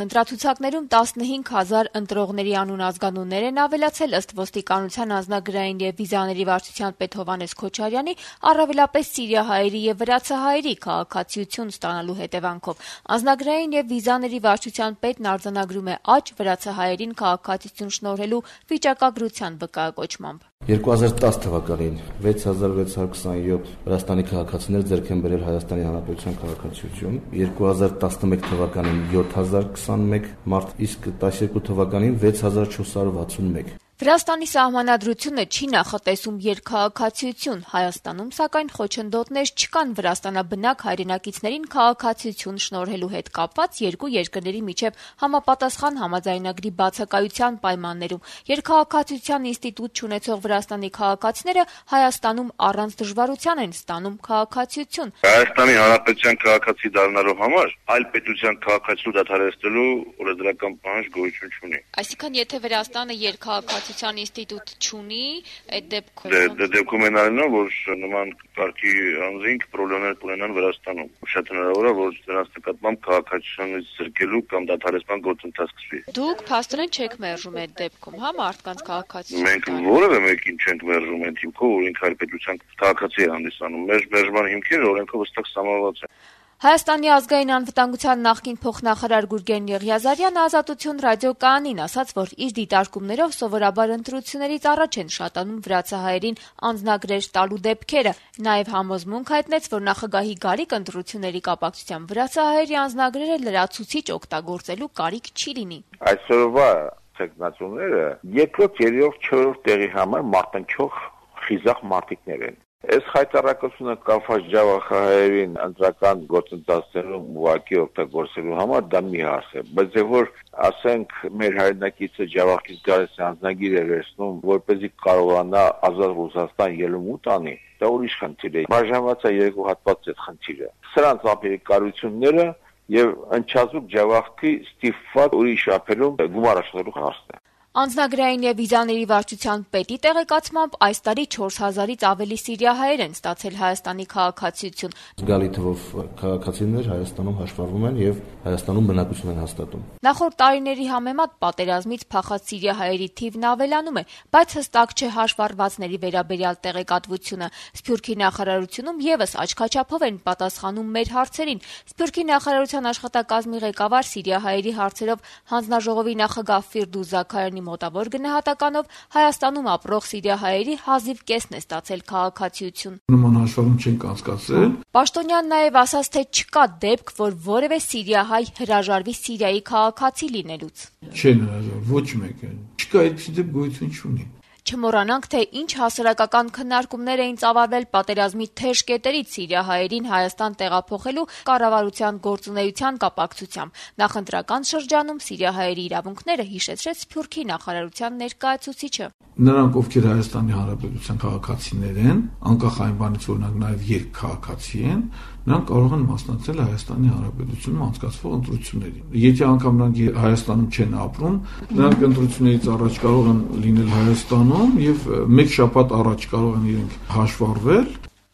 Ընտրացուցակներում 15,000 ընտրողների անուն ազգանուններ են ավելացել ըստ ոստիկանության անձնագրային եւ վիզաների վարչության պետ Հովհաննես Քոչարյանի, առավելապես սիրիահայերի եւ վրացահայերի քաղաքացիություն ստանալու հետեւանքով։ Անձնագրային եւ վիզաների վարչության պետն արձանագրում է աճ վրացահայերին քաղաքացիություն շնորհելու վիճակագրության վկայակոչմամբ։ 2010 թվականին 6627 Վրաստանի քաղաքացիներ ձեռք են բերել Հայաստանի Հանրապետության քաղաքացիություն, 2011 թվականին 7021 մարդ, իսկ 12 թվականին 6461։ Վրաստանի սահմանադրությունը չի նախատեսում երկքաղաքացիություն, Հայաստանում, սակայն խոչընդոտներ չկան վրաստանաբնակ հայրենակիցներին քաղաքացիություն շնորհելու հետ կապված երկու երկրների միջև համապատասխան համաձայնագրի բացակայության պայմաններում։ Երկքաղաքացիության ինստիտուտ չունեցող Վրաստանի քաղաքացիները Հայաստանում առանց դժվարության են ստանում քաղաքացիություն։ Հայաստանի Հանրապետության քաղաքացի դառնալու համար այլ պետության քաղաքացիություն դադարեցնելու օրենսդրական պահանջ գոյություն չունի։ Այսինքն, եթե Վրաստանը երկքաղաքացիության ինստիտուտ չունի, այդ դեպքում են այնու, որ նման կարգի անձինք խնդիրներ ունենան Վրաստանում։ Շատ հնարավոր է, որ նրանց նկատմամբ քաղաքացիությունից զրկելու կամ դադարեցման գործընթաց սկսվի։ Դուք փաստորեն չեք մերժում այդ դեպքում, հա, մարդկանց քաղաքացիություն։ Մենք որևէ մեկին չենք մերժում այդ հիմքով, որ ինքը այլ պետության քաղաքացի է հանդիսանում։ Մեր մերժման հիմքերը օրենքով հստակ սահմանված են։ Հայաստանի ազգային անվտանգության նախկին փոխնախարար Գուրգեն Եղիազարյանը Ազատություն ռադիոկայանին ասաց, որ իր դիտարկումներով սովորաբար ընտրություններից առաջ են շատանում վրացահայերին անձնագրեր տալու դեպքերը։ Նաև համոզմունք հայտնեց, որ նախագահի գալիք ընտրությունների կապակցությամբ վրացահայերի անձնագրերը լրացուցիչ օգտագործելու կարիք չի լինի։ Այսօրվա ցեկնածուները երկրորդ, երրորդ, չորրորդ տեղի համար մարտնչող խիզախ մարտիկներ են։ Այս հայտարարությունը կապված ջավախահայերին ընտրական գործընթացներում ուղղակի օգտագործելու համար դա մի հարց է, բայց որ ասենք մեր հայրենակիցը ջավախից գալիս անձնագիր է վերցնում, որպեսզի կարողանա ազատ Ռուսաստան ելումուտ անի, դա ուրիշ խնդիր է։ Բաժանված է երկու հատված այդ խնդիրը։ Սրանց ապերիկարությունները եւ ընչազուկ ջավախքի ստիպված ուրիշ ափերում գումար աշխատելու հարցն է։ Անձնագրային եւ վիզաների վարչության պետի տեղեկացմամբ այս տարի 4000-ից ավելի սիրիահայեր են ստացել Հայաստանի քաղաքացիություն։ Զգալի թվով քաղաքացիներ Հայաստանում հաշվառվում են եւ Հայաստանում բնակություն են հաստատում։ Նախորդ տարիների համեմատ պատերազմից փախած սիրիահայերի թիվն ավելանում է, բայց հստակ չէ հաշվառվածների վերաբերյալ տեղեկատվությունը։ Սփյուռքի նախարարությունում եւս աչքաչափով են պատասխանում մեր հարցերին։ Սփյուռքի նախարարության աշխատակազմի ղեկավար սիրիահայերի հարցերով հանձնաժողովի նախագահ Ֆիրդուս Զաքարյանի մոտավոր գնահատականով Հայաստանում ապրող սիրիահայերի հազիվ կեսն է ստացել քաղաքացիություն։ Նման հաշվառում չենք անցկացրել։ Պաշտոնյանն նաև ասաց, թե չկա դեպք, որ որևէ սիրիահայ հրաժարվի Սիրիայի քաղաքացի լինելուց։ Չեն հրաժարվում, ոչ մեկը։ Չկա այդպիսի դեպք գոյություն չունի։ Չմոռանանք, թե ինչ հասարակական քննարկումներ էին ծավալվել պատերազմի թեժ կետերից սիրիահայերին Հայաստան տեղափոխելու կառավարության գործունեության կապակցությամբ։ Նախընտրական շրջանում սիրիահայերի իրավունքները հիշեցրեց Սփյուռքի նախարարության ներկայացուցիչը։ Նրանք, ովքեր Հայաստանի Հանրապետության քաղաքացիներ են, անկախ այն բանից, որ նրանք նաև երկքաղաքացի են, նրանք կարող են մասնակցել Հայաստանի Հանրապետությունում անցկացվող ընտրություններին։ Եթե անգամ նրանք Հայաստանում չեն ապրում, նրանք ընտրություններից առաջ կարող են լինել Հայաստանում եւ մեկ շաբաթ առաջ կարող են իրենք հաշվառվել։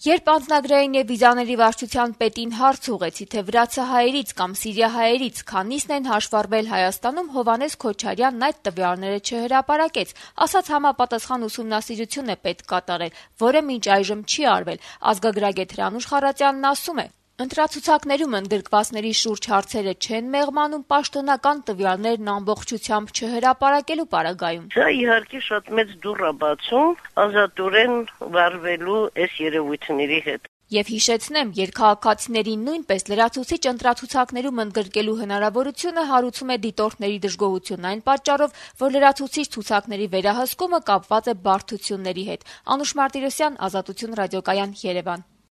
Երբ անձնագրային եւ վիզաների վարչության պետին հարց ուղեցի, թե վրացահայերից կամ սիրիահայերից քանիսն են հաշվառվել Հայաստանում, Հովհաննես Քոչարյանն այդ տվյալները չհրապարակեց, ասաց համապատասխան ուսումնասիրություն է պետք կատարել, որը մինչ այժմ չի արվել։ Ազգագրագետ Հրանուշ Խառատյանն ասում է. Ընտրացուցակներում ընդգրկվածների շուրջ հարցերը չեն մեղմանում պաշտոնական տվյալներն ամբողջությամբ չհրապարակելու պարագայում։ Դա իհարկե շատ մեծ դուռ է բացում ազատորեն վարվելու այս երևույթների հետ։ Եվ հիշեցնեմ, երկքաղաքացիներին նույնպես լրացուցիչ ընտրացուցակներում ընդգրկելու հնարավորությունը հարուցում է դիտորդների դժգոհությունն այն պատճառով, որ լրացուցիչ ցուցակների վերահսկումը կապված է բարդությունների հետ։ Անուշ Մարտիրոսյան, Ազատություն ռադիոկայան, Երևան։